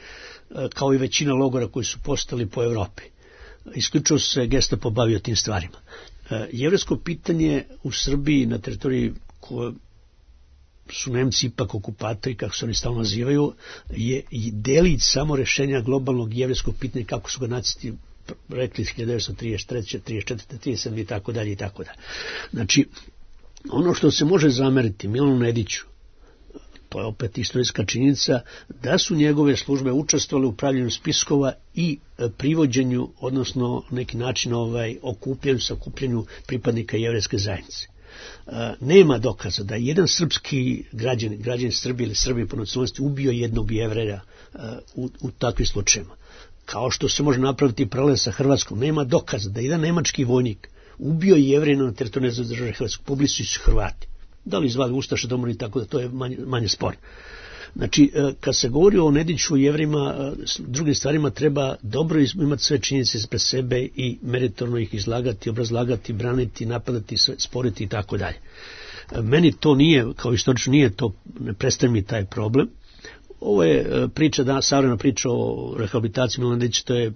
kao i većina logora koji su postali po Evropi. Isključio se Gestapo bavio tim stvarima. Jevrejsko pitanje u Srbiji na teritoriji koje su Nemci ipak okupatori, kako se oni stalno nazivaju, je delić samo rešenja globalnog jevrejskog pitanja, kako su ga nacisti rekli iz hiljadu devetsto trideset treće, trideset četvrte, trideset sedme i tako dalje i tako dalje. Znači, ono što se može zameriti Milanu Nediću, to je opet istorijska činjenica, da su njegove službe učestvovale u pravljenju spiskova i privođenju, odnosno neki način ovaj, okupljanju, sakupljanju pripadnika jevrejske zajednice. Nema dokaza da jedan srpski građan, građan Srbije ili Srbije po nacionalnosti ubio jednog Jevreja u, u takvim slučajima. Kao što se može napraviti paralel sa Hrvatskom, nema dokaza da jedan nemački vojnik ubio Jevrejina na teritoriju nezavisne države Hrvatske, poblisu su Hrvati. Da li zvali Ustaše, domolji, tako da to je manje, manje spor. Znači, kad se govori o Nediću, Jevrima, drugim stvarima, treba dobro imati sve činjenice ispred sebe i meritorno ih izlagati, obrazlagati, braniti, napadati, sporiti i tako dalje. Meni to nije, kao istorično, nije to, ne predstavlja mi taj problem. Ovo je priča, da, savremena priča o rehabilitaciji Milana Nedića, to je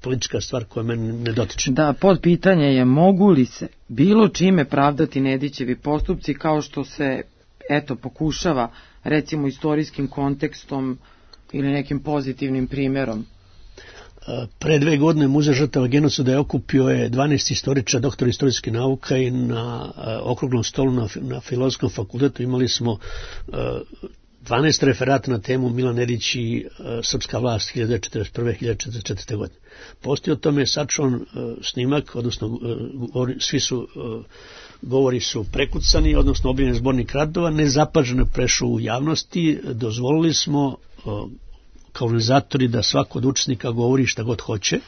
politička stvar koja mene ne dotiče. Da, pod pitanje je mogu li se bilo čime pravdati Nedićevi postupci kao što se, eto, pokušava, recimo istorijskim kontekstom ili nekim pozitivnim primjerom. Pre dve godine Muzej žrtava genocida je okupio je dvanaest istoričara, doktora istorijske nauka, i na okruglom stolu na, na Filozofskom fakultetu imali smo dvanaest referata na temu Milan Nedić i uh, srpska vlast hiljadu devetsto četrdeset prve do hiljadu devetsto četrdeset četvrte. godine. Postoji o tome sačuvan uh, snimak, odnosno uh, govori, svi su uh, govori su prekucani, odnosno objavljen zbornik radova, nezapaženo prešao u javnosti, dozvolili smo uh, kao organizatori da svako od učesnika govori šta god hoće.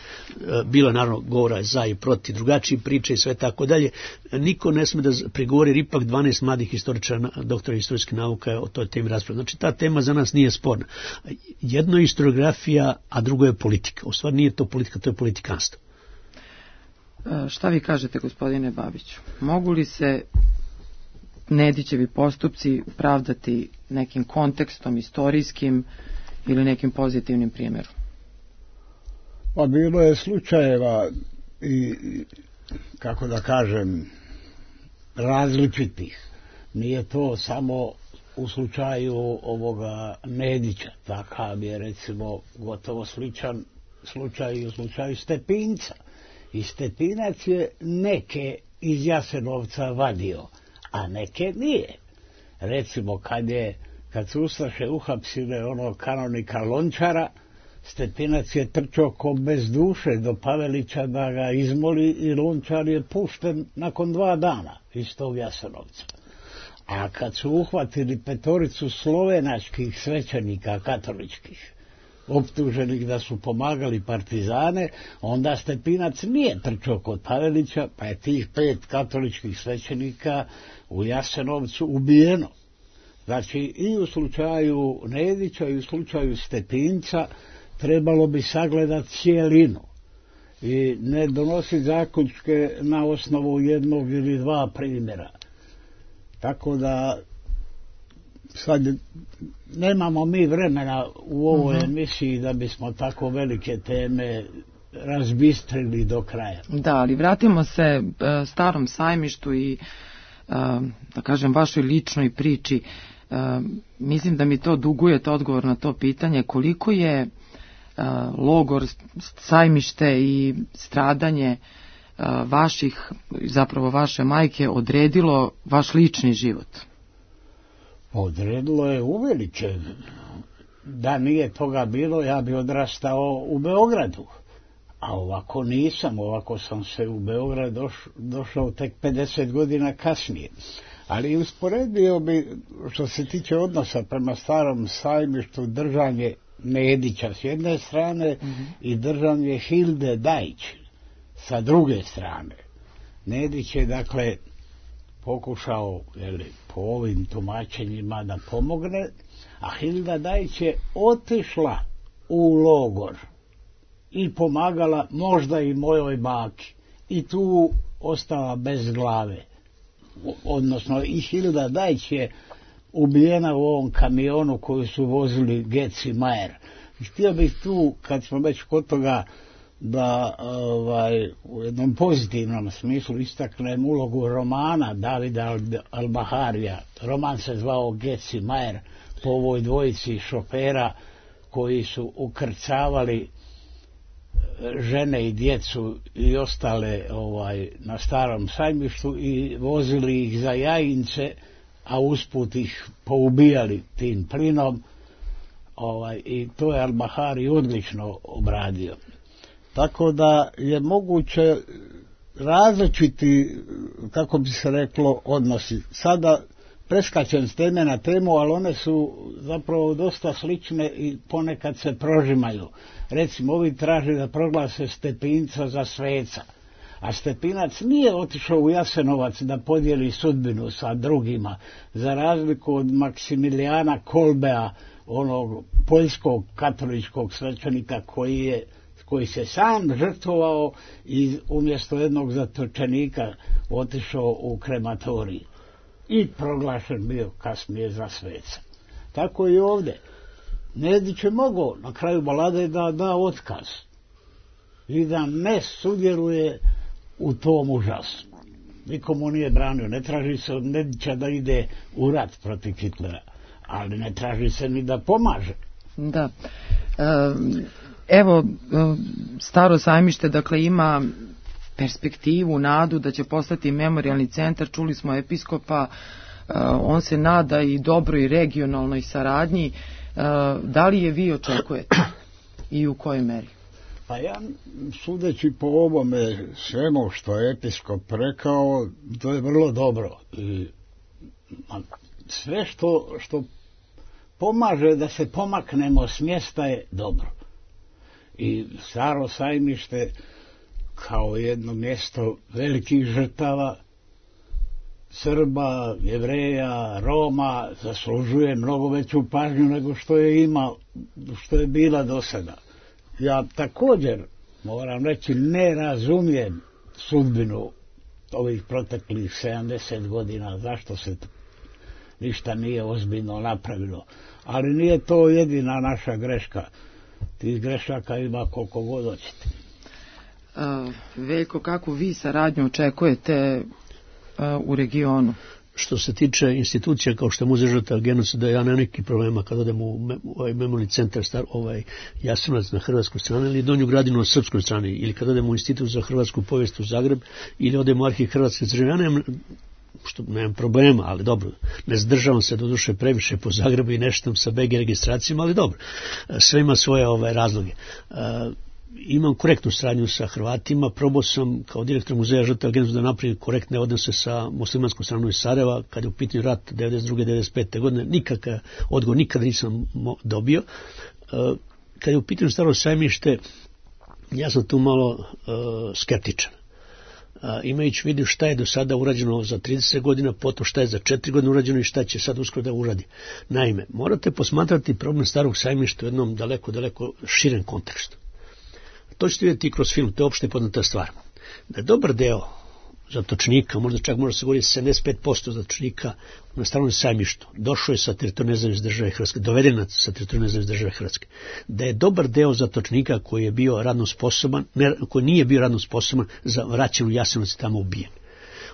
Bilo je naravno govora za i proti, drugačiji priče i sve tako dalje. Niko ne sme da prigovori, jer ipak dvanaest mladih istoričara, doktora istorijske nauka o toj temi raspravlja. Znači ta tema za nas nije sporna. Jedno je historiografija, a drugo je politika. U stvari nije to politika, to je politikanstvo. Šta vi kažete, gospodine Babiću? Mogu li se Nedićevi postupci pravdati nekim kontekstom istorijskim ili nekim pozitivnim primjerom? Pa bilo je slučajeva i, kako da kažem, različitih. Nije to samo u slučaju ovoga Nedića. Takav je recimo gotovo sličan slučaj i u slučaju Stepinca. I Stepinac je neke iz Jasenovca vadio, a neke nije. Recimo kad je Kad su ustaše uhapsile onog kanonika Lončara, Stepinac je trčao ko bez duše do Pavelića da ga izmoli i Lončar je pušten nakon dva dana iz tog Jasenovca. A kad su uhvatili petoricu slovenačkih svećenika katoličkih, optuženih da su pomagali partizane, onda Stepinac nije trčao kod Pavelića, pa je tih pet katoličkih svećenika u Jasenovcu ubijeno. Znači, i u slučaju Nedića i u slučaju Stepinca trebalo bi sagledati cijelinu i ne donositi zaključke na osnovu jednog ili dva primjera. Tako da sad nemamo mi vremena u ovoj uh-huh. emisiji da bismo tako velike teme razbistrili do kraja. Da, ali vratimo se uh, Starom sajmištu i uh, da kažem vašoj ličnoj priči. Uh, mislim da mi to dugujete odgovor na to pitanje, koliko je uh, logor, sajmište i stradanje uh, vaših, zapravo vaše majke odredilo vaš lični život? Odredilo je uvelike. Da nije toga bilo, ja bi odrastao u Beogradu. A ovako nisam, ovako sam se u Beograd doš, došao tek pedeset godina kasnije. Ali usporedio bi, što se tiče odnosa prema Starom sajmištu, držanje Nedića s jedne strane mm-hmm. i držanje Hilde Dajić sa druge strane. Nedić je, dakle, pokušao, jeli, po ovim tumačenjima da pomogne, a Hilda Dajić je otišla u logor i pomagala možda i mojoj baki i tu ostala bez glave. Odnosno i Hilda Dajić je ubijena u ovom kamionu koju su vozili Getz i Majer. Htio bih tu, kad smo već kod toga, da ovaj, u jednom pozitivnom smislu istaknem ulogu romana Davida Al-Baharija. Roman se zvao Getz i Majer po ovoj dvojici šofera koji su ukrcavali žene i djecu i ostale ovaj, na Starom sajmištu i vozili ih za Jajince, a usput ih poubijali tim plinom, ovaj, i to je Al-Bahari odlično obradio. Tako da je moguće različiti, kako bi se reklo, odnosi. Sada preskačem s teme na temu, ali one su zapravo dosta slične i ponekad se prožimaju. Recimo, ovi traže da proglase Stepinca za sveca, a Stepinac nije otišao u Jasenovac da podijeli sudbinu sa drugima, za razliku od Maksimilijana Kolbea, onog poljskog katoličkog svećenika koji je koji se sam žrtvovao i umjesto jednog zatočenika otišao u krematorij i proglašen bio kasnije za sveca. Tako i ovdje. Nedić je mogao na kraju balade da da otkaz i da ne sudjeluje u tom užasu. Nikomu nije branio. Ne traži se od Nedića da ide u rat protiv Hitlera, ali ne traži se ni da pomaže. Da. Um... Evo, Staro sajmište, dakle, ima perspektivu, nadu da će postati memorijalni centar. Čuli smo episkopa on se nada i dobroj regionalnoj saradnji. Da li je vi očekujete i u kojoj meri? Pa ja, sudeći po ovome svemu što je episkop rekao, to je vrlo dobro. I sve što, što pomaže da se pomaknemo s mjesta je dobro. I Staro Sajmište kao jedno mjesto velikih žrtava Srba, Jevreja, Roma zaslužuje mnogo veću pažnju nego što je ima, što je bila do sada. Ja također moram reći ne razumijem sudbinu ovih proteklih sedamdeset godina, zašto se ništa nije ozbiljno napravilo. Ali nije to jedina naša greška. Tih grešaka ima koliko god hoćete. Uh, Veljko, kakvu vi saradnju očekujete uh, u regionu? Što se tiče institucija kao što je Muzej žrtava genocida, ja nemam neki problema kad odem u ovaj memorijalni centar star, ovaj Jasenovac na hrvatskoj strani ili Donju Gradinu na srpskoj strani, ili kad odem u Institut za hrvatsku povijest u Zagreb, ili odem u Arhiv Hrvatske države. Ja nemam, što nemam problema, ali dobro, ne zdržavam se doduše previše po Zagrebu i nešto sa be ge registracijama, ali dobro, sve ima svoje ovaj razloge. Imam korektnu saradnju sa Hrvatima, probao sam kao direktor Muzeja žrtava genocida da napravim korektne odnose sa muslimanskom stranom iz Sarajeva, kad je u pitanju rat devedeset druge devedeset pete godine, nikakav odgovor nikada nisam dobio. Kad je u pitanju Staro Sajmište, ja sam tu malo uh, skeptičan. Uh, imajući vidio šta je do sada urađeno za trideset godina, potom šta je za četiri godine urađeno i šta će sad uskoro da uradi. Naime, morate posmatrati problem Starog Sajmišta u jednom daleko, daleko širem kontekstu. To ćete vidjeti kroz film, to je opšte poznata stvar. Da je dobar deo zatočenika, možda čak može se govoriti sedamdeset pet posto zatočenika na Starom Sajmištu, došao je sa teritorija nezavisne države Hrvatske, doveden sa teritorija nezavisne države Hrvatske. Da je dobar deo zatočenika koji je bio radno sposoban, ne, koji nije bio radno sposoban, za vraćan u Jasenovac i tamo ubijen.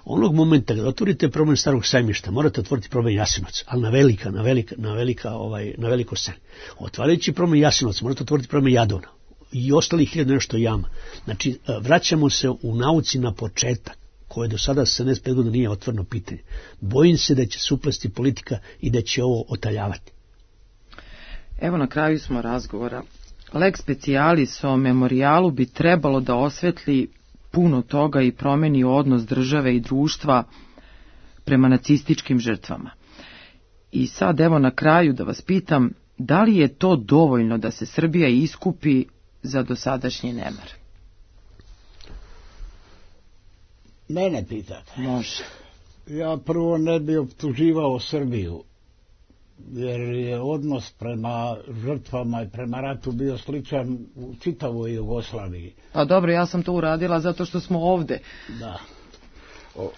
Onog momenta kada otvorite problem Starog Sajmišta, morate otvoriti problem Jasenovac, ali na velika, na velika, na velika, ovaj, na veliko sceni. Otvarajući problem Jasenovac, morate otvoriti problem Jadovna i ostalih hiljada nešto jama. Znači, vraćamo se u nauci na početak, koje do sada sedamdeset pet godina nije otvoreno pitanje. Bojim se da će se uplesti politika i da će ovo otaljavati. Evo na kraju smo razgovora. Lex specialis o memorijalu bi trebalo da osvetli puno toga i promeni odnos države i društva prema nacističkim žrtvama. I sad evo na kraju da vas pitam, da li je to dovoljno da se Srbija iskupi za dosadašnji nemar? Mene pitate. Može. Ja prvo ne bi optuživao Srbiju, jer je odnos prema žrtvama i prema ratu bio sličan u čitavoj Jugoslaviji. Pa dobro, ja sam to uradila zato što smo ovde. Da. O,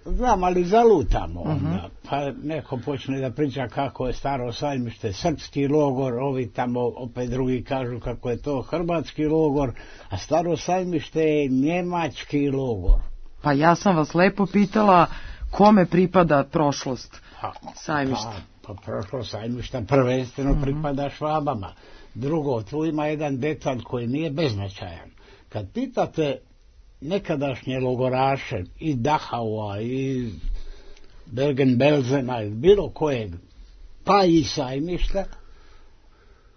znam, ali zalutamo onda. Uh-huh. Pa neko počne da priča kako je Staro Sajmište srpski logor, ovi tamo opet drugi kažu kako je to hrvatski logor, a Staro Sajmište je njemački logor. Pa ja sam vas lepo pitala kome pripada prošlost Sajmišta. Pa, pa prošlost Sajmišta prvenstveno uh-huh. pripada Švabama. Drugo, tu ima jedan detalj koji nije beznačajan. Kad pitate nekadašnje logoraše i Dachaua i Bergen-Belsena i bilo kojeg, pa i Sajmišta,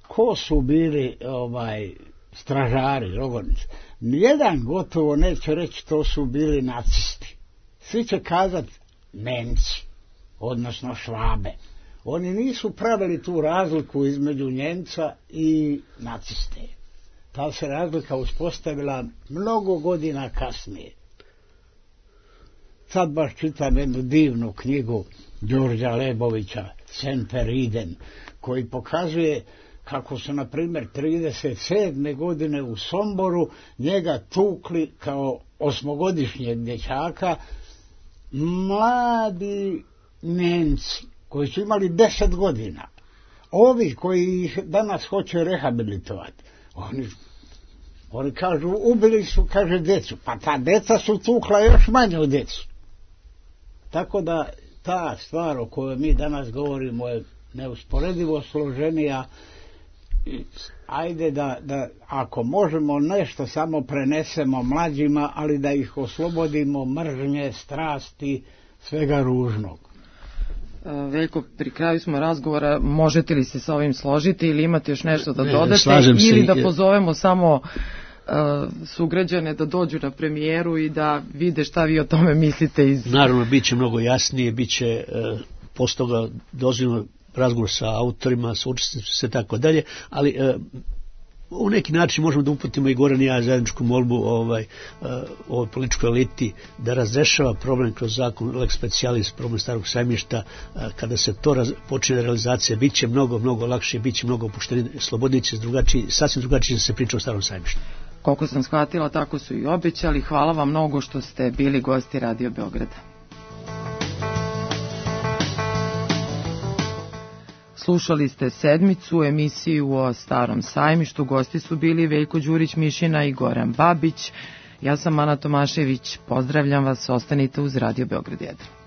ko su bili ovaj stražari, logornici? Nijedan gotovo neće reći to su bili nacisti. Svi će kazati Nemci, odnosno Švabe. Oni nisu pravili tu razliku između Njemca i naciste. Ta se razlika uspostavila mnogo godina kasnije. Sad baš čitam jednu divnu knjigu Đorđa Lebovića, Semper Idem, koji pokazuje kako su, na primjer, trideset sedme godine u Somboru njega tukli kao osmogodišnjeg dječaka mladi Nemci koji su imali deset godina. Ovi koji ih danas hoće rehabilitovati, oni, oni kažu, ubili su, kaže, djecu. Pa ta djeca su tukla još manje od djecu. Tako da ta stvar o kojoj mi danas govorimo je neusporedivo složenija. Ajde da, da ako možemo nešto samo prenesemo mlađima, ali da ih oslobodimo mržnje, strasti, svega ružnog. Veljko, pri kraju smo razgovora, možete li se sa ovim složiti ili imate još nešto da dodate ili da pozovemo samo uh, sugrađane da dođu na premijeru i da vide šta vi o tome mislite iz... Naravno, bit će mnogo jasnije, bit će uh, posle toga dozvoljeno razgovor sa autorima, sa učesnicima, sve tako dalje, ali uh, u neki način možemo da uputimo i Goran i ja zajedničku molbu ovaj, uh, ovoj političkoj eliti da razrešava problem kroz zakon lex specialis, problem Starog sajmišta. Uh, kada se to raz, počne realizacija, bit će mnogo, mnogo lakše, bit će mnogo opuštenije, slobodnije će drugačiji, sasvim drugačije se priča o Starom sajmištu. Koliko sam shvatila, tako su i obećali. Hvala vam mnogo što ste bili gosti Radio Beograda. Slušali ste sedmicu, emisiju o Starom sajmištu. Gosti su bili Veljko Đurić-Mišina i Goran Babić. Ja sam Ana Tomašević. Pozdravljam vas, ostanite uz Radio Beograd jedan.